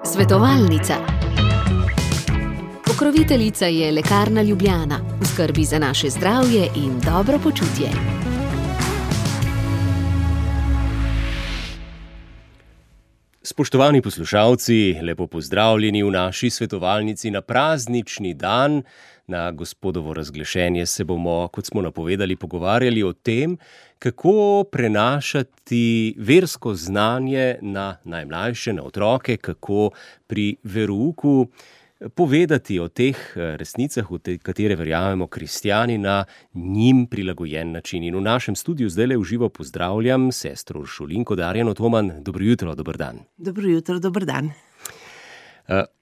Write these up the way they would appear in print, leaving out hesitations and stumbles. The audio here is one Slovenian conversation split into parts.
Svetovalnica. Pokroviteljica je Lekarna Ljubljana, v skrbi za naše zdravje in dobro počutje. Spoštovani poslušalci, lepo pozdravljeni v naši svetovalnici na praznični dan. Na Gospodovo razglašenje se bomo, kot smo napovedali, pogovarjali o tem, kako prenašati versko znanje na najmlajše, na otroke, kako pri verouku povedati o teh resnicah, v katere verjamemo kristjani, na njim prilagojen način. In v našem studiu zdajle v živo pozdravljam sestro Uršulinko Darjano Toman. Dobro jutro, dober dan. Dobro jutro, dober dan.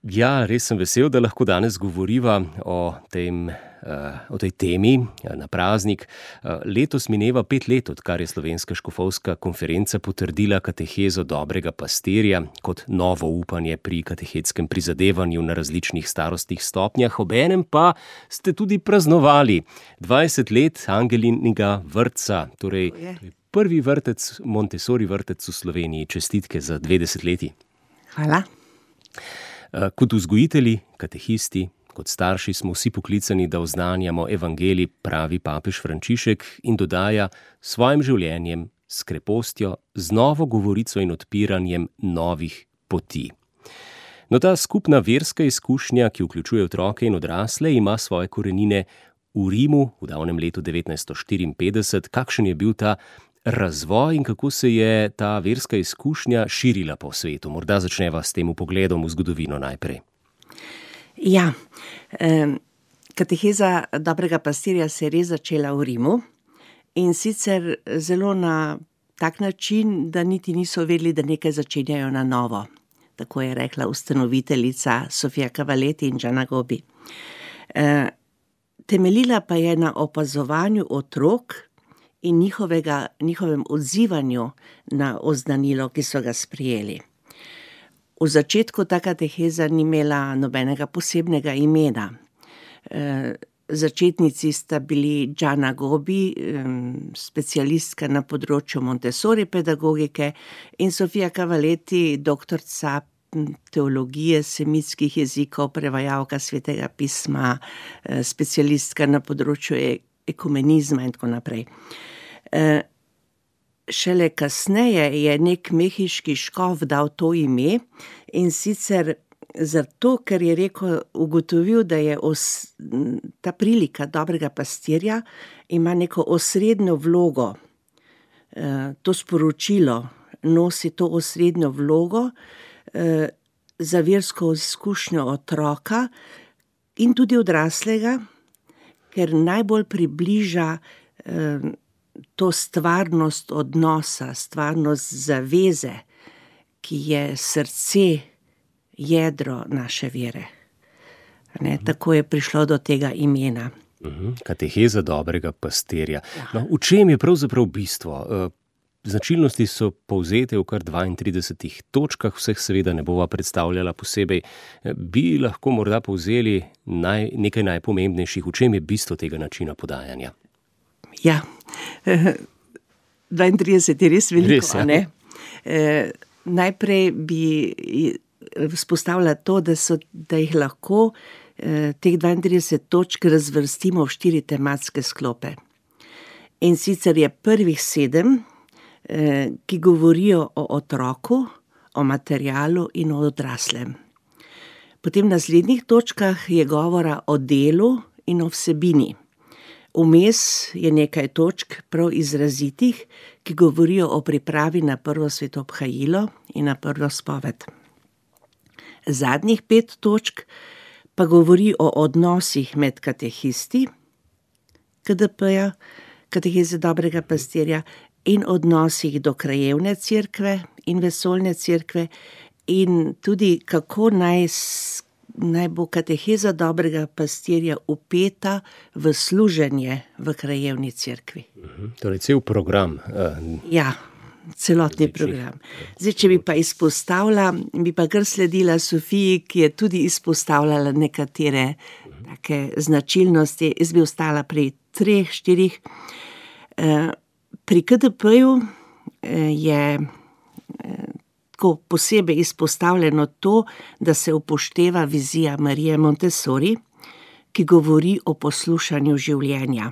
Ja, res sem vesel, da lahko danes govoriva o tej temi na praznik. Letos mineva 5 let, odkar je Slovenska škofovska konferenca potrdila katehezo dobrega pastirja kot novo upanje pri katehetskem prizadevanju na različnih starostnih stopnjah. Obenem pa ste tudi praznovali 20 let Angelinega vrtca, torej prvi vrtec, Montessori vrtec v Sloveniji. Čestitke za 20 leti. Hvala. Kot vzgojitelji, katehisti, kot starši smo vsi poklicani, da oznanjamo evangelij, pravi papež Frančišek, in dodaja svojim življenjem, s krepostjo, z novo govorico in odpiranjem novih poti. No, ta skupna verska izkušnja, ki vključuje otroke in odrasle, ima svoje korenine v Rimu v davnem letu 1954. Kakšen je bil ta razvoj in kako se je ta verska izkušnja širila po svetu? Morda začneva s tem pogledom v zgodovino najprej. Ja, kateheza dobrega pastirja se je res začela v Rimu in sicer zelo na tak način, da niti niso vedeli, da nekaj začenjajo na novo. Tako je rekla ustanoviteljica Sofia Cavalletti in Gianna Gobbi. Temeljila pa je na opazovanju otrok in njihovem odzivanju na oznanilo, ki so ga sprejeli. V začetku ta kateheza ni imela nobenega posebnega imena. Začetnici sta bili Gianna Gobbi, specialistka na področju Montessori pedagogike, in Sofia Cavalletti, doktorica teologije, semitskih jezikov, prevajalka svetega pisma, specialistka na področju ekumenizma in tako naprej. Šele kasneje je nek mehiški škof dal to ime, in sicer zato, ker je ugotovil, da je ta prilika dobrega pastirja ima neko osrednjo vlogo. To sporočilo nosi to osrednjo vlogo za versko izkušnjo otroka in tudi odraslega, ker najbolj približa to stvarnost odnosa, stvarnost zaveze, ki je srce, jedro naše vere. Tako je prišlo do tega imena. Kateheza dobrega pastirja. No, v čem je pravzaprav bistvo? Značilnosti so povzete v kar 32 točkah, vseh seveda ne bova predstavljala posebej. Bi lahko morda povzeli nekaj najpomembnejših, v čem je bistvo tega načina podajanja? Ja, 32 je res veliko, res, ja. Ne? Najprej bi vzpostavila to, da jih lahko teh 32 točk razvrstimo v 4 tematske sklope. In sicer je prvih 7, ki govorijo o otroku, o materialu in o odraslem. Potem v naslednjih točkah je govora o delu in o vsebini. Vmes je nekaj točk prav izrazitih, ki govorijo o pripravi na prvo svetobhajilo in na prvo spoved. Zadnjih 5 točk pa govori o odnosih med katehisti, KDP-ja, kateheze dobrega pastirja, in odnosih do krajevne cerkve in vesoljne cerkve, in tudi kako naj bo kateheza dobrega pastirja vpeta v služenje v krajevni cerkvi. Torej cel program. Ja, celotni program. Zdaj, če bi pa izpostavila, bi pa kar sledila Sofiji, ki je tudi izpostavljala nekatere take značilnosti. Jaz bi ostala pri 3, 4. Pri KDP-ju je tako posebej izpostavljeno to, da se upošteva vizija Marije Montessori, ki govori o poslušanju življenja.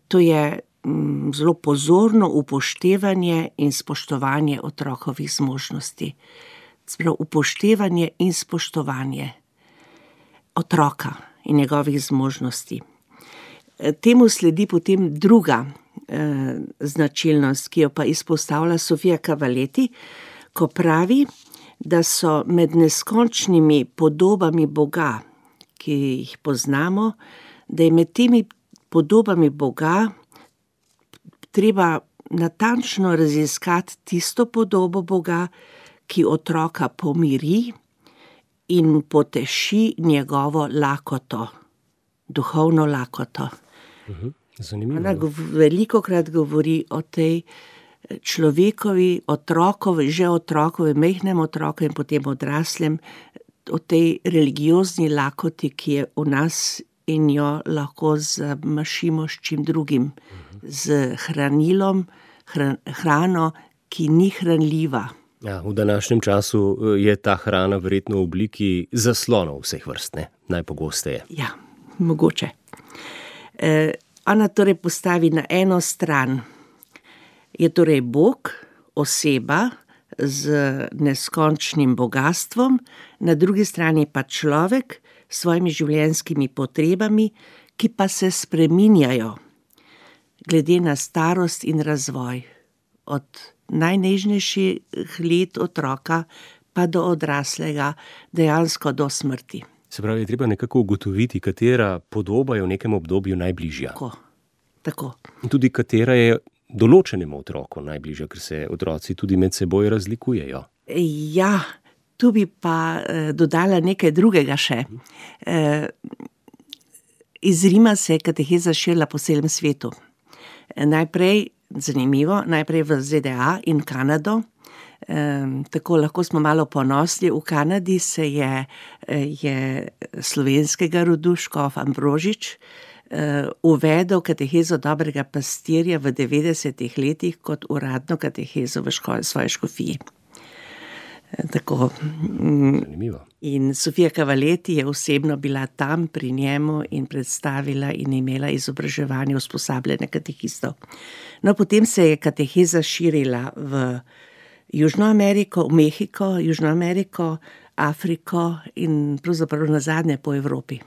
To je zelo pozorno upoštevanje in spoštovanje otrokovih zmožnosti. Sprav upoštevanje in spoštovanje otroka in njegovih zmožnosti. Temu sledi potem druga značilnost, ki jo pa izpostavlja Sofia Cavalletti, ko pravi, da so med neskončnimi podobami Boga, ki jih poznamo, da je med temi podobami Boga treba natančno raziskati tisto podobo Boga, ki otroka pomiri in poteši njegovo lakoto, duhovno lakoto. Zanimivo. Ona velikokrat govori o tej človekovi, otrokovi, majhnem otroku in potem odraslem, o tej religiozni lakoti, ki je v nas in jo lahko zamašimo s čim drugim, z hranilom, hrano, ki ni hranljiva. Ja, v današnjem času je ta hrana verjetno v obliki zaslonov vseh vrst, ne? Najpogosteje. Ja, mogoče. Ona torej postavi na eno stran, je torej Bog, oseba z neskončnim bogastvom, na drugi strani pa človek s svojimi življenjskimi potrebami, ki pa se spreminjajo glede na starost in razvoj. Od najnežnejših let otroka pa do odraslega, dejansko do smrti. Se pravi, je treba nekako ugotoviti, katera podoba je v nekem obdobju najbližja. Tako. In tudi katera je določenemu otroku najbližja, ker se otroci tudi med seboj razlikujejo. Ja, tu bi pa dodala nekaj drugega še. Iz Rima se je kateheza širila po celem svetu. Najprej v ZDA in Kanado. Tako lahko smo malo ponosni. V Kanadi se je slovenskega rodu škof Ambrožič uvedel katehezo dobrega pastirja v 90-ih letih kot uradno katehezo v svoji škofiji. Tako. Zanimivo. In Sofia Cavalletti je osebno bila tam pri njemu in predstavila in imela izobraževanje usposabljanja katehistov. No, potem se je kateheza širila v Južno Ameriko, v Mehiko, Južno Ameriko, Afriko in pravzaprav nazadnje po Evropi.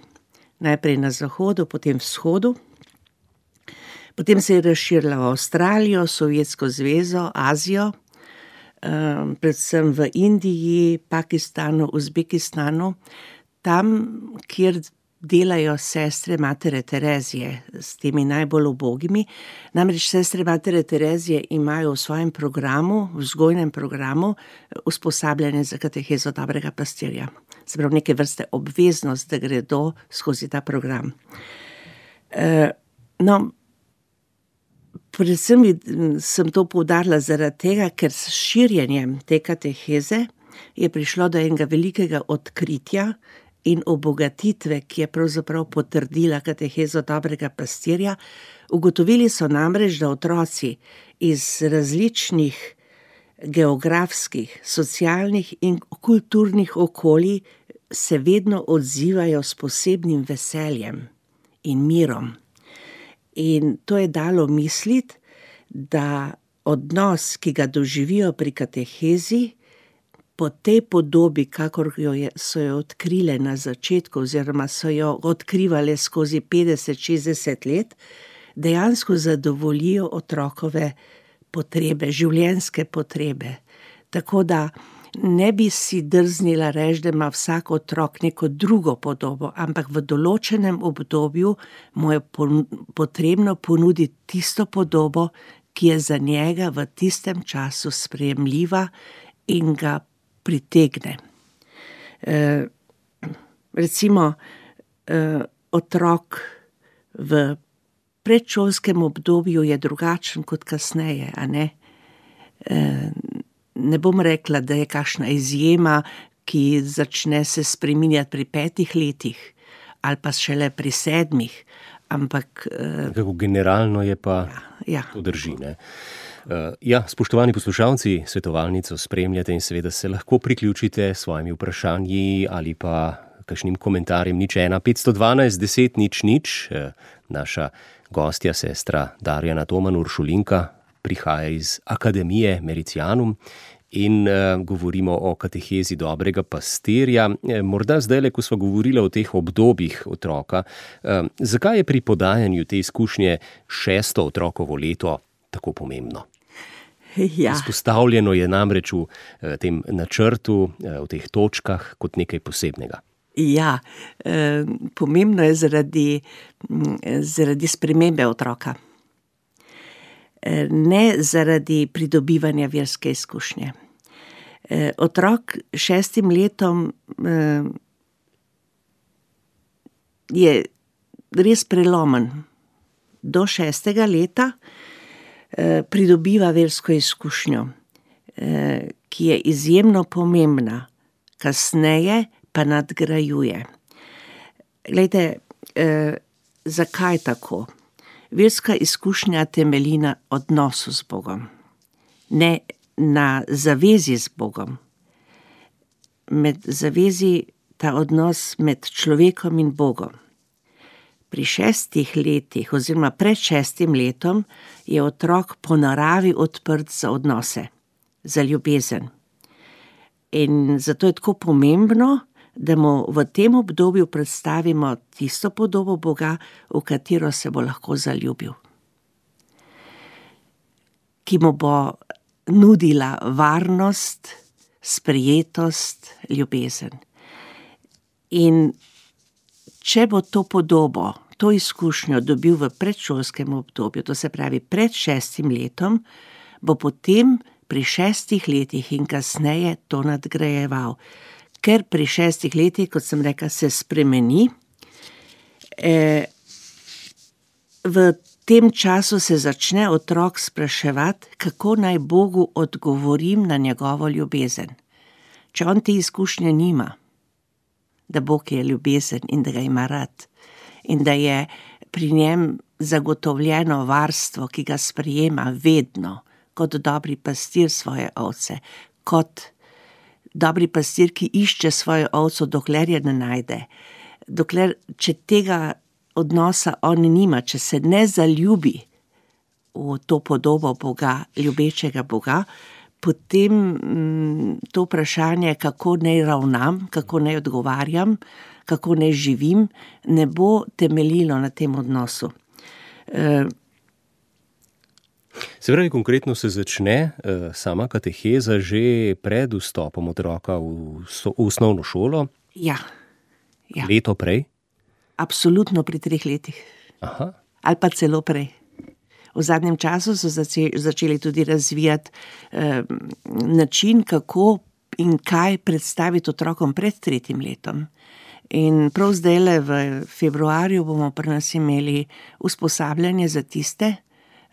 Najprej na zahodu, potem vzhodu. Potem se je razširila v Avstralijo, Sovjetsko zvezo, Azijo, predvsem v Indiji, Pakistanu, Uzbekistanu, tam, kjer delajo sestre Matere Terezije s temi najbolj ubogimi. Namreč sestre Matere Terezije imajo v svojem programu, v vzgojnem programu, usposabljanje za katehezo dobrega pastirja. Se pravi, neke vrste obveznost, da gredo skozi ta program. Predvsem sem to poudarila zaradi tega, ker s širjenjem te kateheze je prišlo do enega velikega odkritja in obogatitve, ki je pravzaprav potrdila katehezo dobrega pastirja. Ugotovili so namreč, da otroci iz različnih geografskih, socialnih in kulturnih okolij se vedno odzivajo s posebnim veseljem in mirom. In to je dalo misliti, da odnos, ki ga doživijo pri katehezi, po tej podobi, kakor so jo odkrile na začetku, oziroma so jo odkrivale skozi 50-60 let, dejansko zadovoljijo otrokove potrebe, življenjske potrebe. Tako da ne bi si drznila reči, da ima vsak otrok neko drugo podobo, ampak v določenem obdobju mu je potrebno ponuditi tisto podobo, ki je za njega v tistem času sprejemljiva in ga pritegne. Recimo, otrok v predšolskem obdobju je drugačen kot kasneje, a ne? Ne bom rekla, da je kakšna izjema, ki začne se spreminjati pri 5 letih ali pa šele pri 7, ampak... Kako generalno je pa ja. To drži, ne? Ja, spoštovani poslušalci, svetovalnico spremljate in seveda se lahko priključite s svojimi vprašanji ali pa kakšnim komentarjem 01 512 10 00. Naša gostja, sestra Darjana Toman Uršulinka, prihaja iz Akademije Mericianum in govorimo o katehezi dobrega pastirja. Morda zdajle, ko sva govorila o teh obdobjih otroka, zakaj je pri podajanju te izkušnje 6. otrokovo leto tako pomembno? Ja. Izpostavljeno je namreč v tem načrtu, v teh točkah kot nekaj posebnega. Ja, pomembno je zaradi spremembe otroka. Ne zaradi pridobivanja verske izkušnje. Otrok 6 letom je res prelomen. Do 6. leta pridobiva versko izkušnjo, ki je izjemno pomembna, kasneje pa nadgrajuje. Glejte, zakaj tako? Verska izkušnja temelji na odnosu z Bogom, ne na zavezi z Bogom. Med zavezi ta odnos med človekom in Bogom. Pri 6 letih oziroma pred 6 letom je otrok po naravi odprt za odnose, za ljubezen. In zato je tako pomembno, da mu v tem obdobju predstavimo tisto podobo Boga, v katero se bo lahko zaljubil. Ki mu bo nudila varnost, sprejetost, ljubezen. In če bo to podobo, to izkušnjo dobil v predšolskem obdobju, to se pravi pred 6 letom, bo potem pri 6 letih in kasneje to nadgrajeval. Ker pri 6 letih, kot sem rekla, se spremeni. V tem času se začne otrok spraševati, kako naj Bogu odgovorim na njegovo ljubezen. Če on te izkušnje nima, da Bog je ljubezen in da ga ima rad in da je pri njem zagotovljeno varstvo, ki ga sprejema vedno, kot dobri pastir svoje ovce, kot dobri pastir, ki išče svojo ovco, dokler je ne najde. Dokler, če tega odnosa on nima, če se ne zaljubi v to podobo Boga, ljubečega Boga, potem to vprašanje, kako naj ravnam, kako naj odgovarjam, kako naj živim, ne bo temeljilo na tem odnosu. Se pravi, konkretno se začne sama kateheza že pred vstopom otroka v osnovno šolo? Ja. Leto prej? Absolutno pri 3 letih. Aha. Ali pa celo prej. V zadnjem času so začeli tudi razvijati način, kako in kaj predstaviti otrokom pred 3. letom. In prav zdajle v februarju bomo pri nas imeli usposabljanje za tiste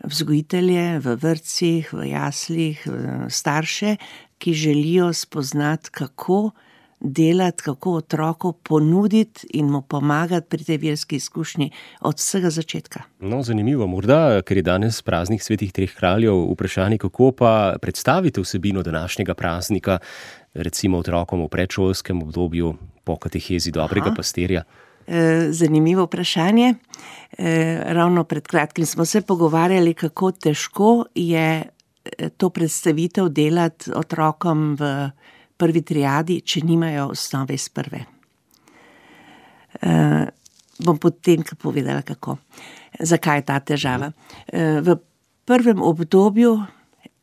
vzgojitelje v vrtcih, v jaslih, starše, ki želijo spoznati, kako delati, kako otroku ponuditi in mu pomagati pri tej verski izkušnji od vsega začetka. No, zanimivo. Morda, ker je danes praznik svetih 3 kraljev, vprašanje, kako pa predstavite vsebino današnjega praznika, recimo otrokom v predšolskem obdobju po katehezi dobrega pastirja? Zanimivo vprašanje. Ravno pred kratkim smo se pogovarjali, kako težko je to predstavitev delati otrokom v prvi triadi, če nimajo osnove iz prve. Bom potem povedala, kako. Zakaj je ta težava? V prvem obdobju,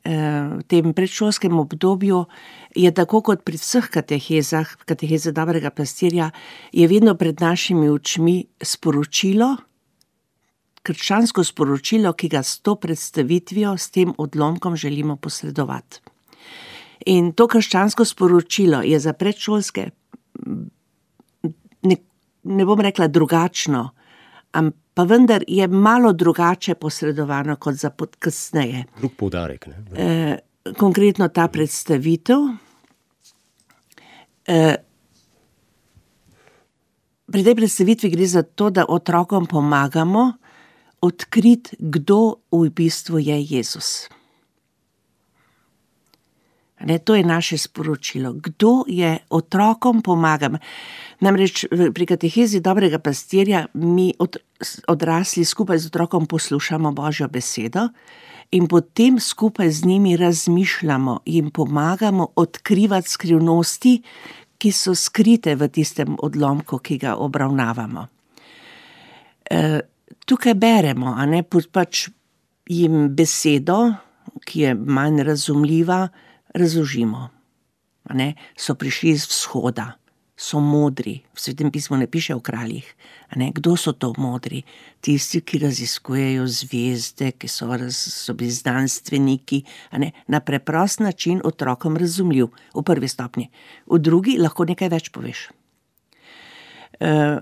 v tem predšolskem obdobju, je tako kot pri vseh katehezah, kateheze dobrega pastirja, je vedno pred našimi očmi sporočilo, krščansko sporočilo, ki ga s to predstavitvijo, s tem odlomkom želimo posredovati. In to krščansko sporočilo je za predšolske, ne bom rekla drugačno, pa vendar je malo drugače posredovano kot za kasneje. Drug poudarek, ne? Konkretno ta predstavitev. Pri tej predstavitvi gre za to, da otrokom pomagamo odkriti, kdo v bistvu je Jezus. To je naše sporočilo. Kdo je otrokom pomagam? Namreč pri katehezi dobrega pastirja mi odrasli skupaj z otrokom poslušamo Božjo besedo in potem skupaj z njimi razmišljamo, jim pomagamo odkrivati skrivnosti, ki so skrite v tistem odlomku, ki ga obravnavamo. Tukaj beremo, pač jim besedo, ki je manj razumljiva, razložimo. So prišli iz vzhoda, so modri, v Svetem pismu ne piše o kraljih. Kdo so to modri? Tisti, ki raziskujejo zvezde, ki so bili znanstveniki, na preprost način otrokom razumljiv, v prvi stopnji. V drugi lahko nekaj več poveš.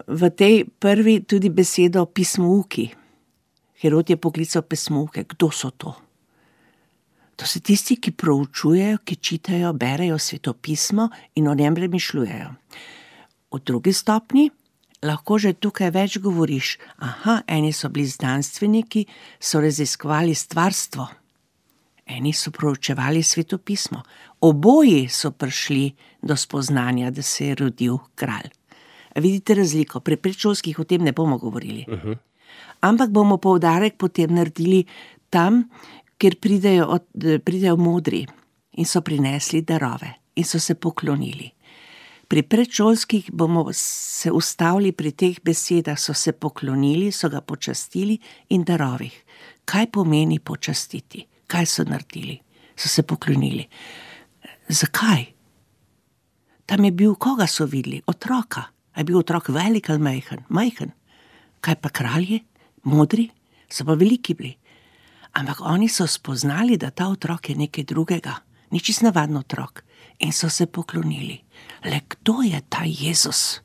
V tej prvi tudi besedo pismouki. Herod je poklical pismouke. Kdo so to? To so tisti, ki proučujejo, ki čitajo, berejo svetopismo in o njem premišljujejo. V drugi stopnji lahko že tukaj več govoriš. Eni so bili znanstveniki, so raziskovali stvarstvo. Eni so proučevali svetopismo. Oboji so prišli do spoznanja, da se je rodil kralj. Vidite razliko? Pri predšolskih o tem ne bomo govorili. Ampak bomo poudarek potem naredili tam, kjer pridejo modri in so prinesli darove in so se poklonili. Pri predšolskih bomo se ustavili pri teh besedah, so se poklonili, so ga počastili in darovih. Kaj pomeni počastiti? Kaj so naredili? So se poklonili. Zakaj? Tam je bil, koga so videli? Otroka. A je bil otrok velik ali majhen? Majhen. Kaj pa kralji? Modri? So pa veliki bili. Ampak oni so spoznali, da ta otrok je nekaj drugega. Ni čisto navaden otrok. In so se poklonili. Le kdo je ta Jezus?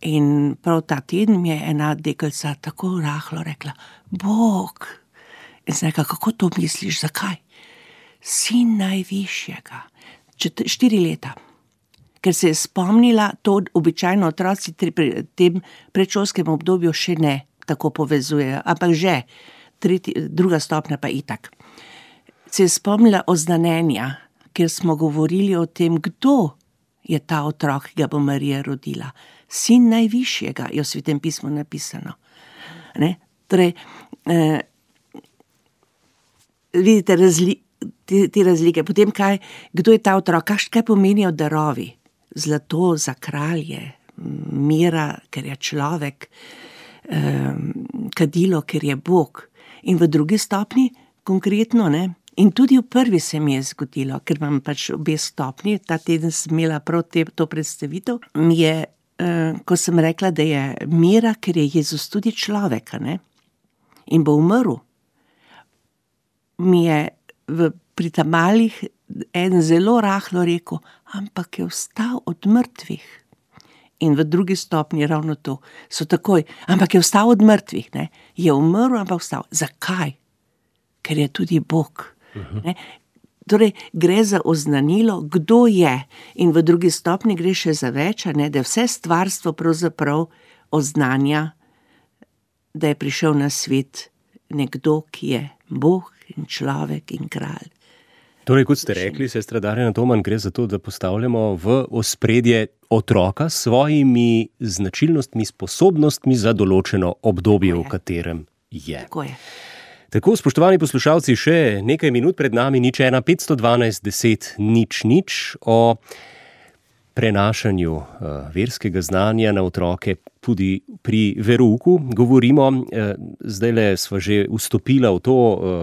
In prav ta teden mi je ena deklica tako rahlo rekla, Bog. In sem rekla, kako to misliš, zakaj? Sin najvišjega. 4 leta. Ker se je spomnila, to običajno otroci pri tem predšolskem obdobju še ne tako povezujejo, ampak že, 2. stopnja pa itak. Se je spomnila oznanenja, ker smo govorili o tem, kdo je ta otrok, ki ga bo Marija rodila. Sin najvišjega je v Svetem pismu napisano. Torej, vidite te razlike. Potem kdo je ta otrok, kaj pomenijo darovi? Zlato za kralje, mira, ker je človek, kadilo, ker je Bog. In v drugi stopni, konkretno, in tudi v prvi se mi je zgodilo, ker imam pač obe stopni, ta teden sem imela prav to predstavitev, mi je, ko sem rekla, da je mira, ker je Jezus tudi človek, in bo umrl, mi je pri tamalih en zelo rahlo rekel, ampak je vstal od mrtvih. In v drugi stopnji ravno to. So takoj, ampak je vstal od mrtvih. Je umrl, ampak vstal. Zakaj? Ker je tudi Bog. Torej, gre za oznanilo, kdo je. In v drugi stopnji gre še za več, da je vse stvarstvo pravzaprav oznanja, da je prišel na svet nekdo, ki je Bog in človek in kralj. Torej, kot ste rekli, sestra Darjana Toman, gre za to, da postavljamo v ospredje otroka s svojimi značilnostmi, sposobnostmi za določeno obdobje, v katerem je. Tako, spoštovani poslušalci, še nekaj minut pred nami, 0512 10 0 0 o prenašanju verskega znanja na otroke tudi pri verouku. Govorimo, zdajle sva že vstopila v to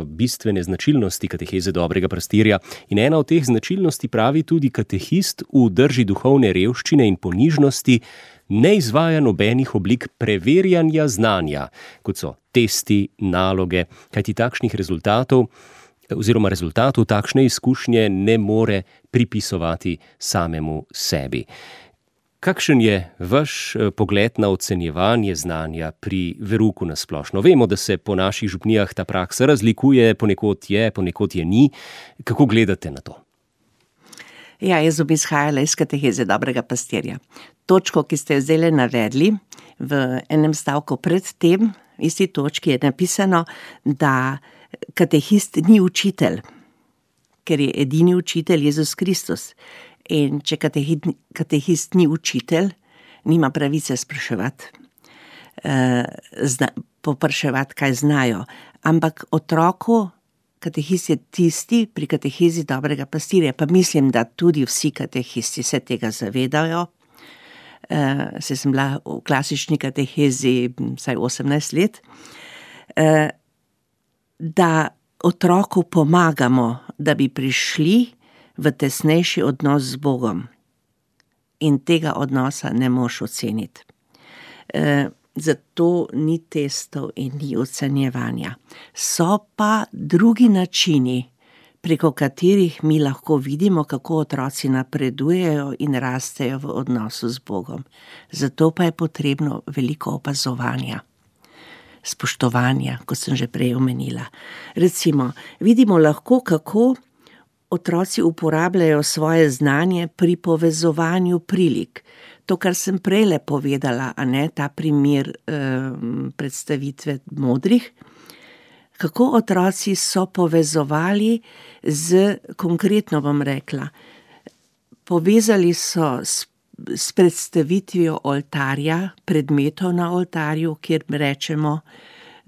bistvene značilnosti kateheze dobrega pastirja in ena od teh značilnosti, pravi tudi katehist, v drži duhovne revščine in ponižnosti ne izvaja nobenih oblik preverjanja znanja, kot so testi, naloge, kajti takšnih rezultatov oziroma rezultatov takšne izkušnje ne more pripisovati samemu sebi. Kakšen je vaš pogled na ocenjevanje znanja pri verouku na splošno? Vemo, da se po naših župnijah ta praksa razlikuje, ponekod je ni. Kako gledate na to? Ja, jaz bi izhajala iz kateheze dobrega pastirja. Točko, ki ste jo zdaj navedli, v enem stavku pred tem, v isti točki je napisano, da katehist ni učitelj. ker je edini učitelj Jezus Kristus. In če katehist ni učitelj, nima pravice spraševati, popraševati, kaj znajo. Ampak otroku katehist je tisti pri katehezi dobrega pastirja, pa mislim, da tudi vsi katehisti se tega zavedajo. Saj sem bila v klasični katehezi vsaj 18 let, da otroku pomagamo, da bi prišli v tesnejši odnos z Bogom. In tega odnosa ne moš oceniti. Zato ni testov in ni ocenjevanja. So pa drugi načini, preko katerih mi lahko vidimo, kako otroci napredujejo in rastejo v odnosu z Bogom. Zato pa je potrebno veliko opazovanja, spoštovanja, kot sem že prej omenila. Recimo, vidimo lahko, kako otroci uporabljajo svoje znanje pri povezovanju prilik. To, kar sem prejle povedala, a ne, ta primer predstavitve modrih, kako otroci so povezovali konkretno bom rekla, povezali so s predstavitvijo oltarja, predmetov na oltarju, kjer rečemo,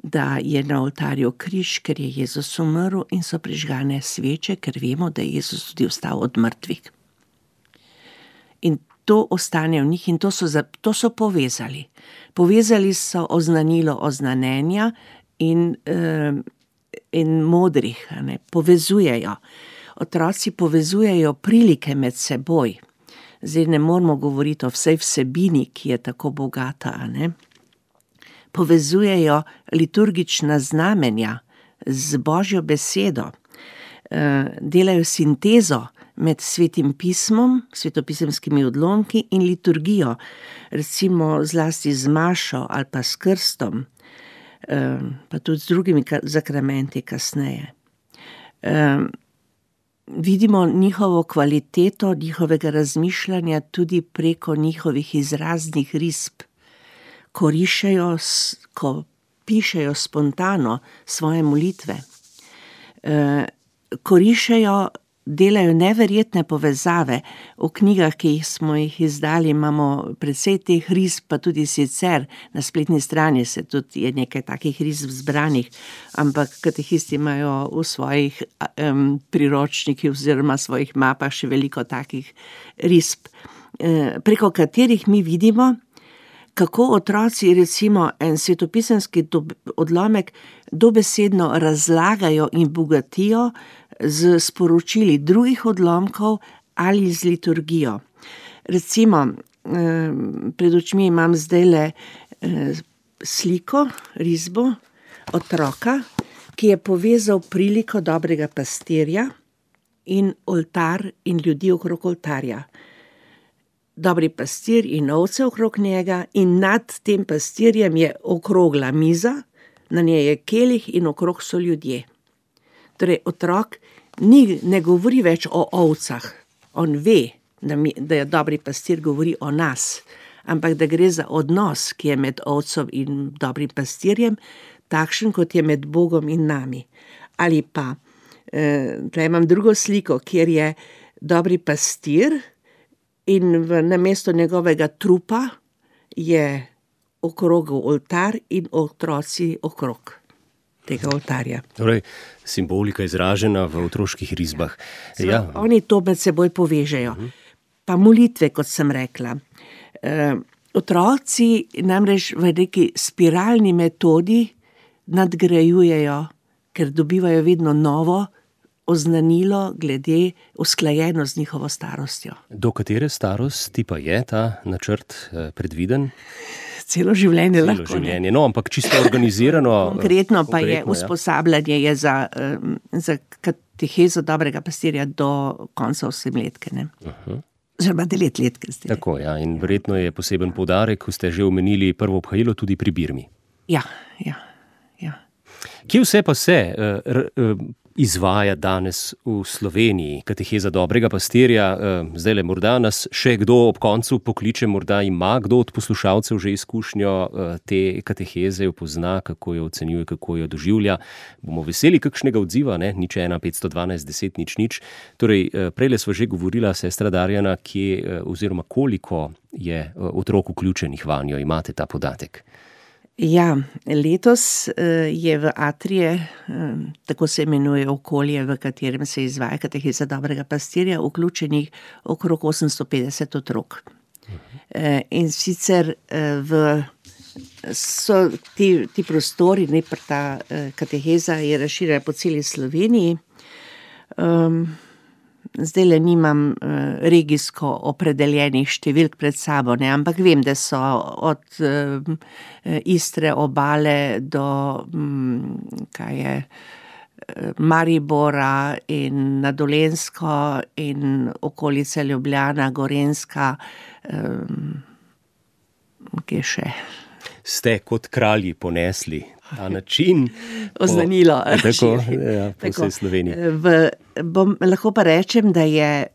da je na oltarju križ, ker je Jezus umrl, in so prižgane sveče, ker vemo, da je Jezus tudi vstal od mrtvih. In to ostane v njih in to so povezali. Povezali so oznanilo oznanenja in modrih, ne, povezujejo. Otroci povezujejo prilike med seboj. Zdaj ne moramo govoriti o vsej vsebini, ki je tako bogata, ne. Povezujejo liturgična znamenja z Božjo besedo, delajo sintezo med svetim pismom, svetopisemskimi odlomki in liturgijo, recimo zlasti z mašo ali pa s krstom, pa tudi z drugimi zakramenti kasneje. Vidimo njihovo kvaliteto, njihovega razmišljanja tudi preko njihovih izraznih risb, ko rišejo, ko pišejo spontano svoje molitve, ko rišejo, delajo neverjetne povezave. V knjigah, ki smo jih izdali, imamo precej teh risb, pa tudi sicer na spletni strani se tudi je nekaj takih risb zbranih, ampak katehisti imajo v svojih priročnikih oziroma svojih mapah še veliko takih risb, preko katerih mi vidimo, kako otroci recimo en svetopisemski odlomek dobesedno razlagajo in bogatijo z sporočili drugih odlomkov ali z liturgijo. Recimo, pred očmi imam zdajle sliko, risbo otroka, ki je povezal priliko dobrega pastirja in oltar in ljudi okrog oltarja. Dobri pastir in ovce okrog njega in nad tem pastirjem je okrogla miza, na njej je kelih in okrog so ljudje. Torej, otrok ne govori več o ovcah. On ve, da je dobri pastir govori o nas, ampak da gre za odnos, ki je med ovcem in dobrim pastirjem, takšen, kot je med Bogom in nami. Ali pa, tukaj imam drugo sliko, kjer je dobri pastir in namesto njegovega trupa je okrog oltar in otroci okrog tega oltarja. Torej, simbolika izražena v otroških risbah. Ja. Oni to med seboj povežejo. Pa molitve, kot sem rekla. Otroci namreč v neki spiralni metodi nadgrajujejo, ker dobivajo vedno novo oznanilo glede usklajeno z njihovo starostjo. Do katere starosti pa je ta načrt predviden? Celo življenje lahko. Celo življenje, no, ampak čisto organizirano. Konkretno pa je usposabljanje je za katehezo dobrega pastirja do konca 8-letke, ne. Oziroma 9-letke. Tako, ja, in verjetno je poseben poudarek, ko ste že omenili prvo obhajilo tudi pri birmi. Ja. Kje vse pa se izvaja danes v Sloveniji, kateheza dobrega pastirja. Zdajle morda nas še kdo ob koncu pokliče, morda ima kdo od poslušalcev že izkušnjo te kateheze, jo pozna, kako jo ocenjuje, kako jo doživlja. Bomo veseli kakšnega odziva, ne? 015 512 10 00. Torej, prejle sva že govorila, sestra Darjana, kje oziroma koliko je otrok vključenih vanjo, imate ta podatek? Ja, letos je v Atrije, tako se imenuje okolje, v katerem se izvaja kateheza dobrega pastirja, vključenih okrog 850 otrok. In sicer so ti prostori, ta kateheza je razširjena po celi Sloveniji. Zdajle nimam regijsko opredeljenih številk pred sabo, ne, ampak vem, da so od Istre obale do Maribora in na Dolenjsko in okolice Ljubljana, Gorenjska, kje še? Ste kot kralji ponesli ta način. Oznanilo. Tako, po vsej Sloveniji. Lahko pa rečem, da je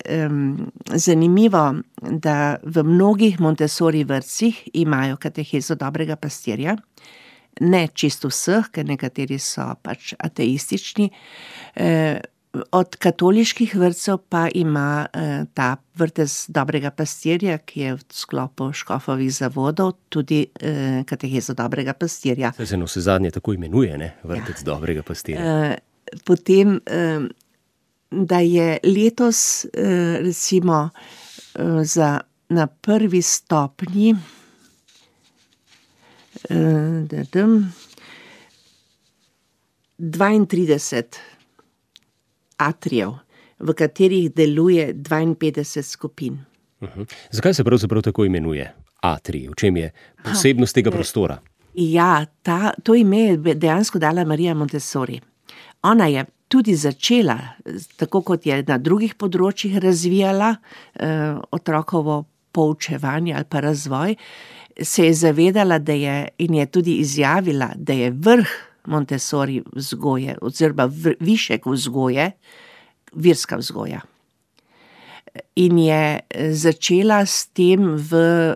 zanimivo, da v mnogih Montessori vrtcih imajo katehezo dobrega pastirja. Ne čisto vseh, ker nekateri so pač ateistični. Od katoliških vrtcev pa ima ta vrtec dobrega pastirja, ki je v sklopu škofovih zavodov, tudi katehezo dobrega pastirja. Se navsezadnje tako imenuje, ne? Vrtec dobrega pastirja. Potem, da je letos recimo na prvi stopnji 32 atrijev, v katerih deluje 52 skupin. Zakaj se pravzaprav tako imenuje atrij? V čem je posebnost tega prostora? Ja, to ime je dejansko dala Marija Montessori. Ona je tudi začela, tako kot je na drugih področjih razvijala otrokovo poučevanje ali pa razvoj, se je zavedala, in je tudi izjavila, da je vrh Montessori vzgoje, oziroma višek vzgoje, verska vzgoja. In je začela s tem v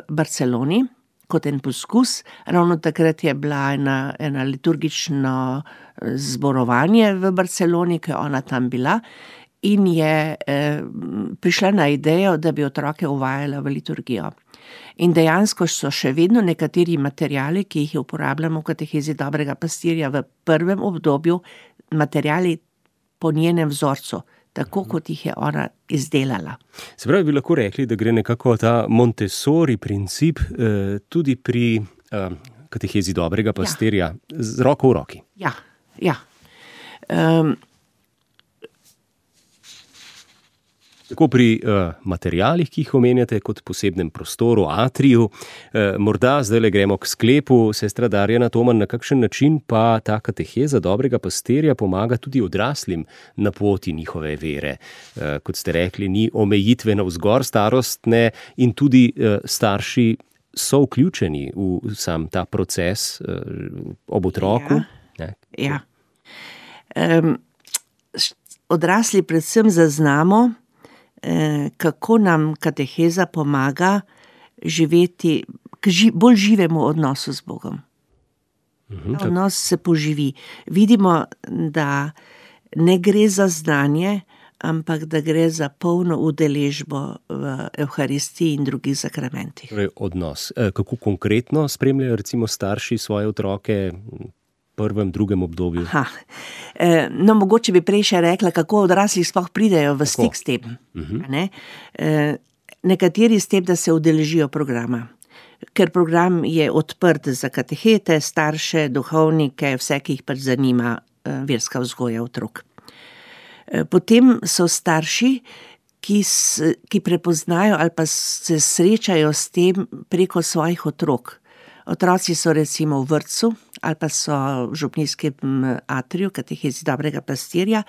Barceloni, kot en poskus. Ravno takrat je bila ena liturgično zborovanje v Barceloni, ko je ona tam bila, in je prišla na idejo, da bi otroke uvajala v liturgijo. In dejansko so še vedno nekateri materiali, ki jih uporabljamo v katehezi dobrega pastirja v prvem obdobju, materiali po njenem vzorcu, tako kot jih je ona izdelala. Se pravi, bi lahko rekli, da gre nekako ta Montessori princip tudi pri katehezi dobrega pastirja z roko v roki. Ja. Tako pri materialih, ki jih omenjate, kot posebnem prostoru, atriju. Morda zdajle gremo k sklepu. Sestra Darjana Toman, na kakšen način pa ta kateheza dobrega pastirja pomaga tudi odraslim na poti njihove vere? Kot ste rekli, ni omejitve navzgor starostne in tudi starši so vključeni v sam ta proces ob otroku. Ja. Odrasli predvsem zaznamo, kako nam kateheza pomaga živeti k bolj živemu odnosu z Bogom. Odnos se poživi. Vidimo, da ne gre za znanje, ampak da gre za polno udeležbo v Evharistiji in drugih sakramentih. Torej, odnos. Kako konkretno spremljajo recimo starši svoje otroke prvem, drugem obdobju? Mogoče bi prej še rekla, kako odrasli sploh pridejo v stik s tem. Nekateri s tem, da se udeležijo programa. Ker program je odprt za katehete, starše, duhovnike, vse, ki jih pač zanima verska vzgoja otrok. Potem so starši, ki prepoznajo ali pa se srečajo s tem preko svojih otrok. Otroci so recimo v vrtcu ali pa so v župnijskem atriju, katehezi dobrega pastirja,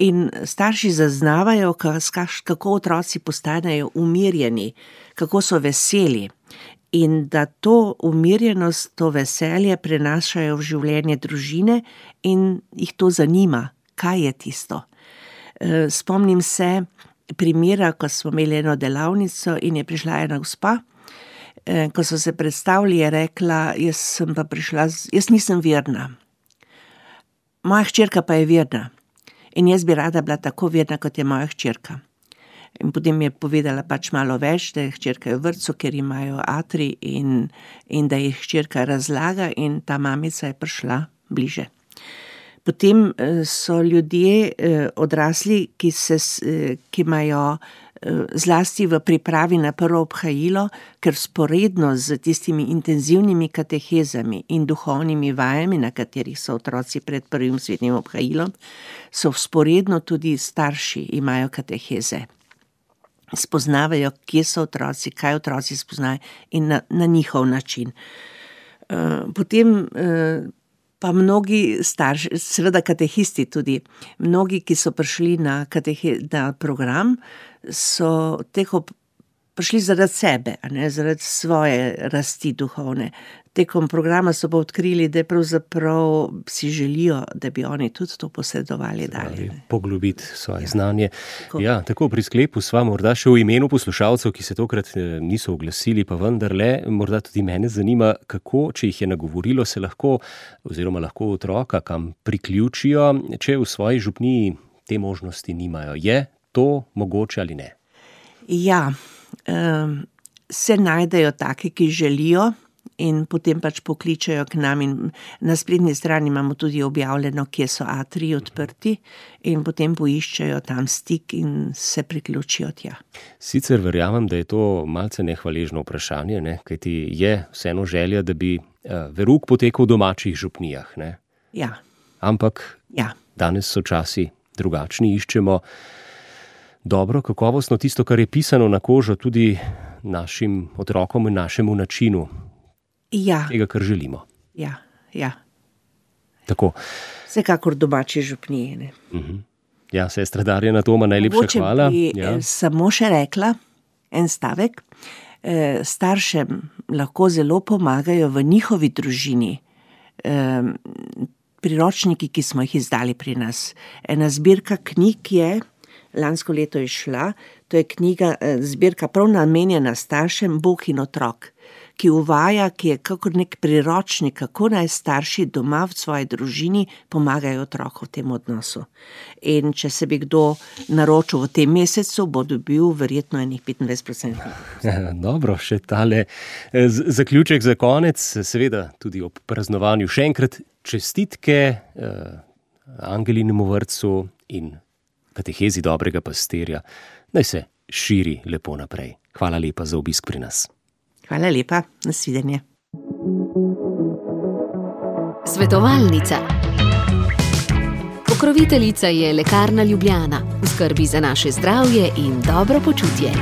in starši zaznavajo, kako otroci postanejo umirjeni, kako so veseli, in da to umirjenost, to veselje prenašajo v življenje družine in jih to zanima, kaj je tisto. Spomnim se primera, ko smo imeli eno delavnico in je prišla ena gospa, ko so se predstavili, je rekla, jaz nisem verna. Moja hčerka pa je verna. In jaz bi rada bila tako verna, kot je moja hčerka. In potem je povedala pač malo več, da je hčerka v vrtcu, ker imajo atri in da je hčerka razlaga in ta mamica je prišla bliže. Potem so ljudje odrasli, ki imajo zlasti v pripravi na prvo obhajilo, ker sporedno z tistimi intenzivnimi katehezami in duhovnimi vajami, na katerih so otroci pred prvim svetnim obhajilom, so sporedno tudi starši imajo kateheze. Spoznavajo, kje so otroci, kaj otroci spoznajo in na njihov način. Potem pa mnogi starši, seveda katehisti tudi, mnogi, ki so prišli na program, so prišli zaradi sebe, zaradi svoje rasti duhovne. Tekom programa so pa odkrili, da pravzaprav si želijo, da bi oni tudi to posredovali dalje. Poglobiti svoje znanje. Ja, tako pri sklepu sva morda še v imenu poslušalcev, ki se tokrat niso oglasili, pa vendarle, morda tudi mene zanima, kako, če jih je nagovorilo, se lahko otroka kam priključijo, če v svoji župniji te možnosti nimajo. Je to mogoče ali ne? Ja, se najdejo taki, ki želijo, in potem pač pokličajo k nam in na spletni strani imamo tudi objavljeno, kje so atriji odprti in potem poiščejo tam stik in se priključijo tja. Sicer verjamem, da je to malce nehvaležno vprašanje, kajti je vseeno želja, da bi verouk potekal v domačih župnijah, ne? Ja. Ampak danes so časi drugačni, iščemo dobro, kakovostno tisto, kar je pisano na kožo tudi našim otrokom in našemu načinu. Tega, kar želimo. Ja. Tako. Vsekakor domači župnije. Ja, sestra Darjana Toma, najlepša hvala. Mogoče bi samo še rekla en stavek. Staršem lahko zelo pomagajo v njihovi družini priročniki, ki smo jih izdali pri nas. Ena zbirka knjig je, lansko leto je šla, to je zbirka prav namenjena staršem, Bog in otrok, ki uvaja, ki je kakor nek priročnik, kako naj starši doma v svoji družini pomagajo otroku v tem odnosu. In če se bi kdo naročil v tem mesecu, bo dobil verjetno enih 25%. Dobro, še tale zaključek za konec, seveda tudi ob praznovanju. Še enkrat čestitke Angelinemu vrtcu in katehezi dobrega pastirja. Naj se širi lepo naprej. Hvala lepa za obisk pri nas. Hvala lepa, nasvidenje. Svetovalnica. Pokroviteljica je Lekarna Ljubljana, v skrbi za naše zdravje in dobro počutje.